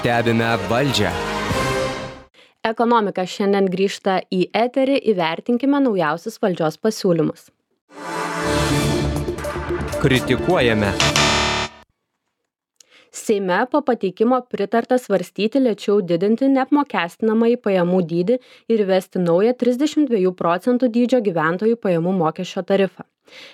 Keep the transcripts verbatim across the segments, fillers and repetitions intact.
Stebime valdžią. Ekonomika šiandien grįžta į eterį, įvertinkime naujausius valdžios pasiūlymus. Kritikuojame. Seime po pateikimo pritarta svarstyti lėčiau didinti neapmokestinamąjį pajamų dydį ir įvesti naują trisdešimt dviejų procentų dydžio gyventojų pajamų mokesčio tarifą.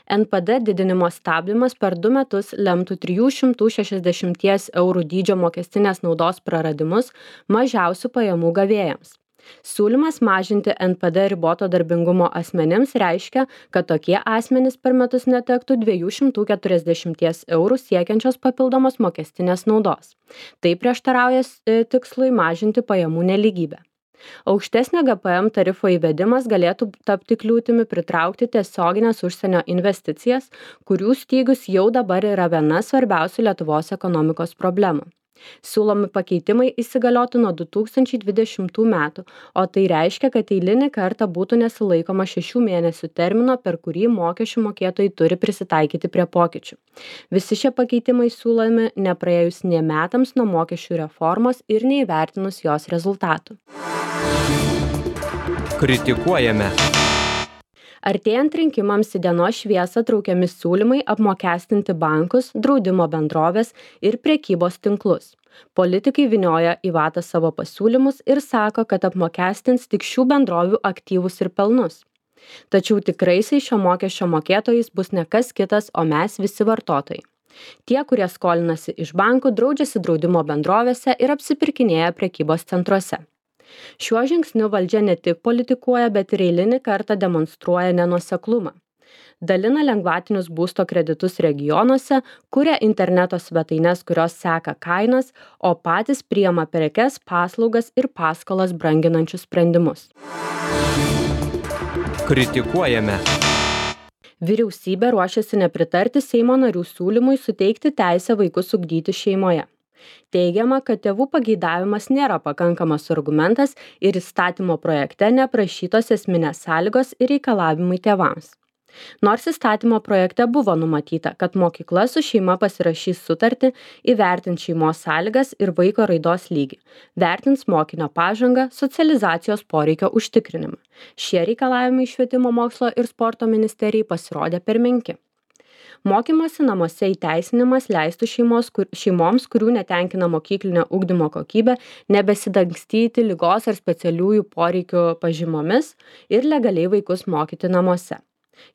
N P D didinimo stabdymas per du metus lemtų trijų šimtų šešiasdešimties eurų dydžio mokestinės naudos praradimus mažiausių pajamų gavėjams. Siūlymas mažinti N P D riboto darbingumo asmenims reiškia, kad tokie asmenys per metus netektų dviejų šimtų keturiasdešimties eurų siekiančios papildomos mokestinės naudos. Tai prieštarauja tikslui mažinti pajamų nelygybę. Aukštesnio G P M tarifo įvedimas galėtų tapti kliūtimi pritraukti tiesioginės užsienio investicijas, kurių stygius jau dabar yra viena svarbiausių Lietuvos ekonomikos problemų. Siūlomi pakeitimai įsigaliotų nuo du tūkstančiai dvidešimtų metų, o tai reiškia, kad eilinį kartą būtų nesilaikoma šešių mėnesių termino, per kurį mokesčių mokėtojai turi prisitaikyti prie pokyčių. Visi šie pakeitimai siūlomi nepraėjus nė metams nuo mokesčių reformos ir neįvertinus jos rezultatų. Kritikuojame. Artėjant rinkimams į dienos šviesą traukiami siūlymai apmokestinti bankus, draudimo bendroves ir prekybos tinklus. Politikai vynioja į vatą savo pasiūlymus ir sako, kad apmokestins tik šių bendrovių aktyvus ir pelnus. Tačiau tikraisiais šio mokesčio mokėtojais bus ne kas kitas, o mes visi vartotojai. Tie, kurie skolinasi iš bankų, draudžiasi draudimo bendrovėse ir apsipirkinėja prekybos centruose. Šiuo žingsniu valdžia ne tik politikuoja, bet ir eilinį kartą demonstruoja nenuoseklumą. Dalina lengvatinius būsto kreditus regionuose, kuria interneto svetaines, kurios seka kainas, o patys priima prekes, paslaugas ir paskolas branginančius sprendimus. Kritikuojame. Vyriausybė ruošiasi nepritarti Seimo narių siūlymui suteikti teisę vaikus ugdyti šeimoje. Teigiama, kad tėvų pageidavimas nėra pakankamas argumentas ir įstatymo projekte neprašytos esminės sąlygos ir reikalavimai tėvams. Nors įstatymo projekte buvo numatyta, kad mokykla su šeima pasirašys sutartį, įvertins šeimos sąlygas ir vaiko raidos lygį, vertins mokinio pažangą, socializacijos poreikio užtikrinimą. Šie reikalavimai švietimo mokslo ir sporto ministerijai pasirodė per menki. Mokymosi namuose įteisinimas leistų šeimos, kur, šeimoms, kurių netenkina mokyklinio ugdymo kokybė, nebesidangstyti ligos ar specialiųjų poreikių pažymomis ir legaliai vaikus mokyti namuose.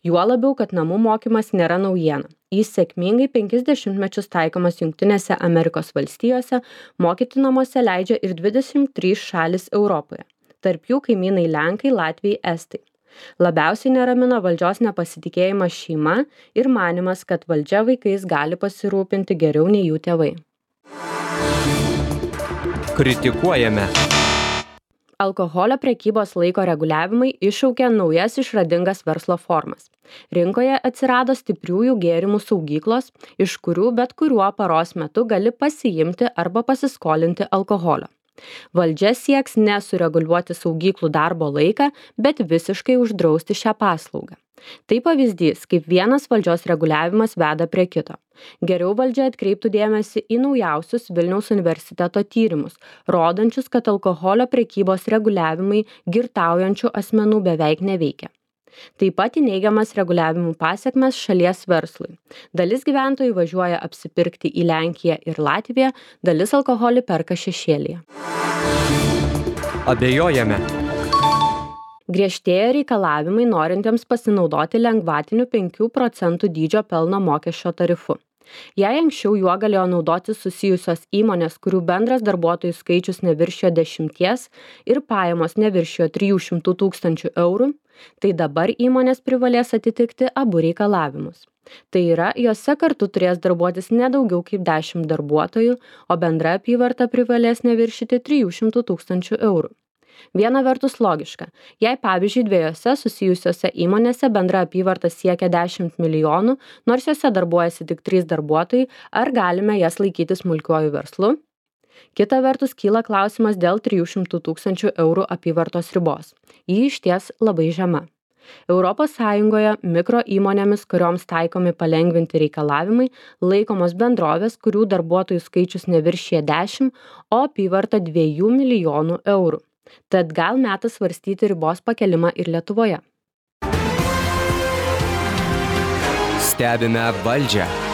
Juo labiau, kad namų mokymas nėra naujiena. Jis sėkmingai penkis dešimtmečius taikomas Jungtinėse Amerikos valstijose, mokyti namuose leidžia ir dvidešimt trys šalys Europoje. Tarp jų kaimynai Lenkai, Latvijai, Estai. Labiausiai neramina valdžios nepasitikėjimas šeima ir manimas, kad valdžia vaikais gali pasirūpinti geriau nei jų tėvai. Kritikuojame. Alkoholio prekybos laiko reguliavimai iššaukė naujas išradingas verslo formas. Rinkoje atsirado stipriųjų gėrimų saugyklos, iš kurių bet kuriuo paros metu gali pasiimti arba pasiskolinti alkoholio. Valdžia sieks nesureguliuoti saugyklų darbo laiką, bet visiškai uždrausti šią paslaugą. Tai pavyzdys, kaip vienas valdžios reguliavimas veda prie kito. Geriau valdžia atkreiptų dėmesį į naujausius Vilniaus universiteto tyrimus, rodančius, kad alkoholio prekybos reguliavimai girtaujančių asmenų beveik neveikia. Taip pat į neigiamas reguliavimų pasekmes šalies verslui. Dalis gyventojų važiuoja apsipirkti į Lenkiją ir Latviją, dalis alkoholį perka šešėlyje. Abejojame. Griežtėja reikalavimai norintiems pasinaudoti lengvatiniu penkių procentų dydžio pelno mokesčio tarifu. Jei anksčiau juo galėjo naudotis susijusios įmonės, kurių bendras darbuotojų skaičius neviršijo dešimties ir pajamos neviršijo trijų šimtų tūkstančių eurų, tai dabar įmonės privalės atitikti abu reikalavimus. Tai yra, jose kartu turės darbuotis ne daugiau kaip dešimt darbuotojų, o bendra apyvarta privalės neviršyti trijų šimtų tūkstančių eurų. Viena vertus logiška, jei pavyzdžiui dviejose susijusiose įmonėse bendra apyvarta siekia dešimt milijonų, nors jose darbuojasi tik trys darbuotojai, ar galime jas laikyti smulkiuoju verslu? Kita vertus kyla klausimas dėl trijų šimtų tūkstančių eurų apyvartos ribos. Ji išties labai žema. Europos Sąjungoje mikro įmonėmis, kurioms taikomi palengvinti reikalavimai, laikomos bendrovės, kurių darbuotojų skaičius neviršija dešimt, o apyvarta dviejų milijonų eurų. Tad gal metas svarstyti ribos pakelimą ir Lietuvoje. Stebime valdžią.